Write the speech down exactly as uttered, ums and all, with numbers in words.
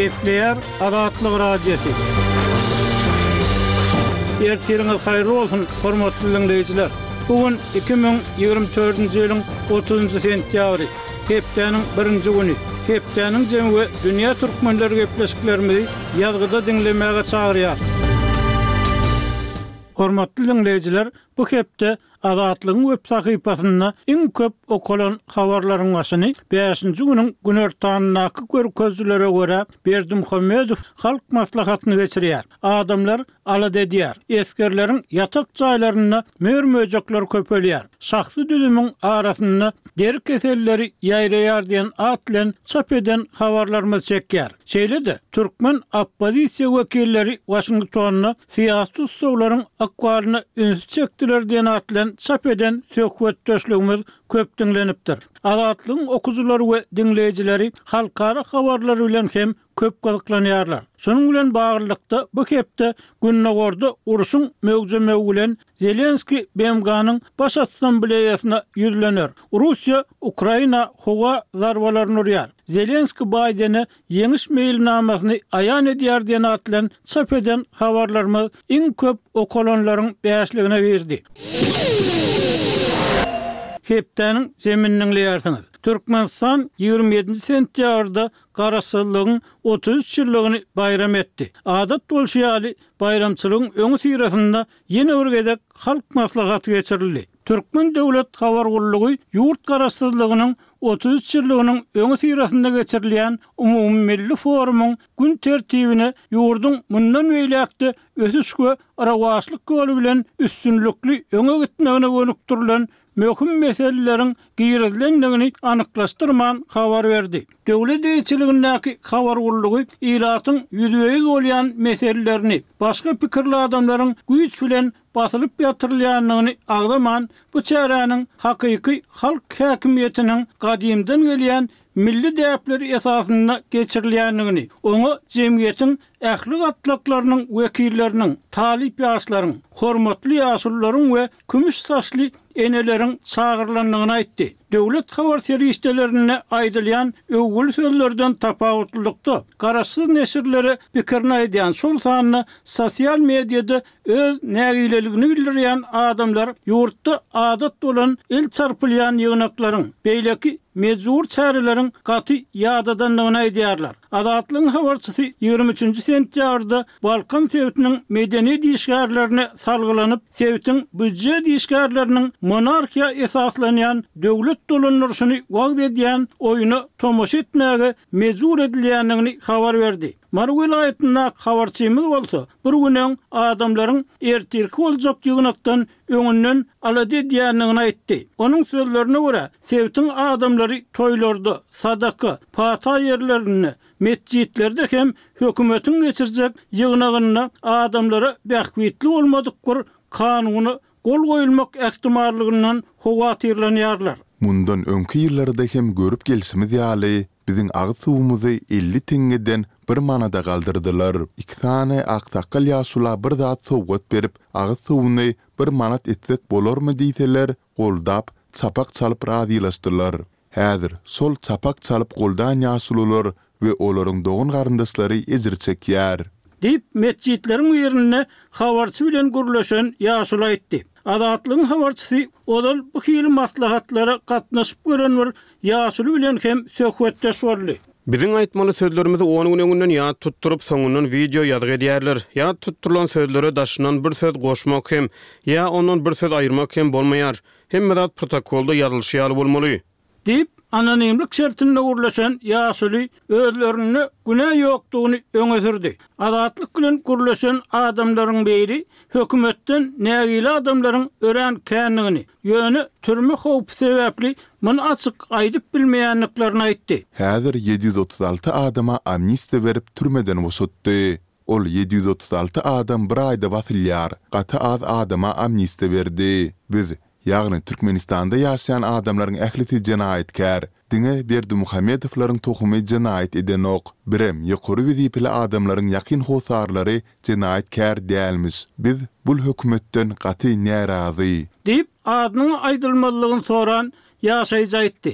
Gepleýär Azatlyk Radiosy. Ertiriňiz haýyrly bolsun, hormatly diňleýjiler! Bu gün iki müň ýigrimi dördünji ýylyň otuzynjy sentýabry, hepdäniň birinji güni. Hepdäniň jemi we dünýä türkmenleri gepleşiklerimizi ýazgyda diňlemäge çagyrýar. Hormatly diňleýjiler, bu hepde Azatlygyň web sahypasynda iň köp okalan habarlaryň başyny bäşinji günüň günortanyndaky görkezijilere görä, Berdimuhamedow Halk Maslahatyny geçirýär. Adamlar alada edýär. Esgerleriň ýatak jaýlarynda mör-möjekler köpelýär. Şahsy düzümiň arasynda deri keselleri ýaýraýar diýen at bilen çap eden habarlarymyz çekýär. Şeýle-de, türkmen oppozisiýa wekilleri Waşingtonda syýasy tussaglaryň ykbalyna ünsi çekdiler diýen at bilen çap eden söhbetdeşligimiz köp diňlenipdir. Azatlygyň okyjylary we diňleýjileri halkara habarlary bilen hem köp gyzyklanýarlar. Şunuň bilen baglylykda, bu hepde Gündogarda urşuň möwjemegi bilen Zelenskiý B M G-nyň Baş Assambleýasyna ýüzlener. Russiýa Ukraina howa zarbalaryny urýar. Zelenskiý Baýdene ýeňiş meýilnamasyny aýan edýär diýen at bilen çap eden habarlarymyz iň köp okalanlaryň bäşligine girdi. Hepdäniň jemini diňleýärsiňiz. Türkmenistan ýigrimi ýedinji sentýabrda Garaşsyzlygyň otuz üç ýyllygyny baýram etdi. Adat bolşy ýaly, baýramçylygyň öňüsyrasynda ýene bir gezek Halk Maslahaty geçirildi. Türkmen döwlet habar gullugy ýurt Garaşsyzlygynyň otuz üç ýyllygynyň öňüsyrasynda geçirilýän umumymilli forumyň gün tertibine ýurduň mundan beýläk-de ösüş we rowaçlyk ýoly bilen üstünlikli öňe gitmegine gönükdirilen möhüm meseleleriň girizilendigini anyklaşdyrman habar berdi. Döwlet eýeçiligindäki habar gullugy ilatyň ýüzbe-ýüz bolýan meselelerini, başga pikirli adamlaryň güýç bilen basylyp ýatyrylýandygyny agzaman, bu çäräniň hakyky halk häkimiýetiniň gadymdan gelýän milli däpleri esasynda geçirilýändigini, oňa jemgyýetiň ähli gatlaklarynyň wekilleriniň, talyp ýaşlaryň, hormatly ýaşulularyň we kümüş saçly eneleriň çagyrylandygyny aýtdy. Döwlet habar serişdelerinde aýdylýan öwgüli sözlerden tapawutlylykda, garaşsyz neşirlere pikirini aýdýan, şol sanda sosial mediada öz nägileligini bildirýän adamlar ýurtda adat bolan el çarpylýan ýygnaklaryň, beýleki mejbur çäreleriň gaty ýadadandygyny aýdýarlar. Azatlygyň habarçysy ýigrimi üçünji sentýabrda Balkan sebitiniň medeniýet işgärlerine salgylanyp, sebitiň býujet işgärleriniň monarhiýa esaslanýan döwlet dolandyryşyny wagyz edýän oýuna tomaşa etmäge mejbur edilýändigini habar berdi. Mary welaýatyndaky habarçymyz bolsa, bir gün öň adamlaryň ertirki boljak ýygnakdan öňünden alada edýändigini aýtdy. Onuň sözlerine görä, sebitiň adamlary toýlarda, sadaka, pata ýerlerinde, metjitlerde hem hökümetiň geçirjek ýygnagynda adamlara bähbitli bolmadyk bir kanuna gol goýulmak ähtimallygyndan howatyrlanýarlar. Mundan öňki ýyllarda hem görüp gelşimiz ýaly, biziň agyz suwumyzy elli teňňeden bir manada galdyrdylar. Iki sany aksakgal ýaşula bir zat sowgat berip, agyz suwuny bir manat etsek bolarmy diýseler, goldap, çapak çalyp razylaşdylar. Häzir şol çapak çalyp goldan ýaşulular we olaryň dogan-garyndaşlary ejir çekýär. Diýip, metjitleriň birinde habarçy bilen gürleşen ýaşuly aýtdy. Azatlygyň habarçysy ozal bu hili maslahatlara gatnaşyp gören bir ýaşuly bilen hem söhbetdeş boldy. Biziň aýtmaly sözlerimizi on gün öňünden ýat tutduryp, soňundan wideo ýazgy edýärler. Ýat tutdurylan sözlere daşyndan bir söz goşmak hem, ýa ondan bir söz aýyrmak hem bolmaýar. Hemme zat protokolda ýazylyşy ýaly bolmaly. Diýip, anonimlik şertinde gürleşen ýaşuly özlerinde günä ýokdugyny öňe sürdi. Azatlyk bilen gürleşen adamlaryň biri hökümetden nägile adamlaryň örän kändigini, ýöne türme howpy sebäpli muny açyk aýdyp bilmeýändiklerini aýtdy. Häzir ýedi ýüz otuz alty adama amnistiýa berip türmeden boşatdy. Ol ýedi ýüz otuz alty adam bir aýda basylýar, gaty az adama amnistiýa berdi. Biz, ýagny Türkmenistanda ýaşaýan adamlaryň ählisi jenaýatkär. Diňe Berdimuhamedowlaryň tohumy jenaýat edenok. Birem ýokary wezipeli adamlaryň ýakyn hossarlary jenaýatkär dälmiş. Biz bul hökümetden gaty närazy. Diýip, adynyň aýdylmazlygyny soran ýaşaýjy aýtdy.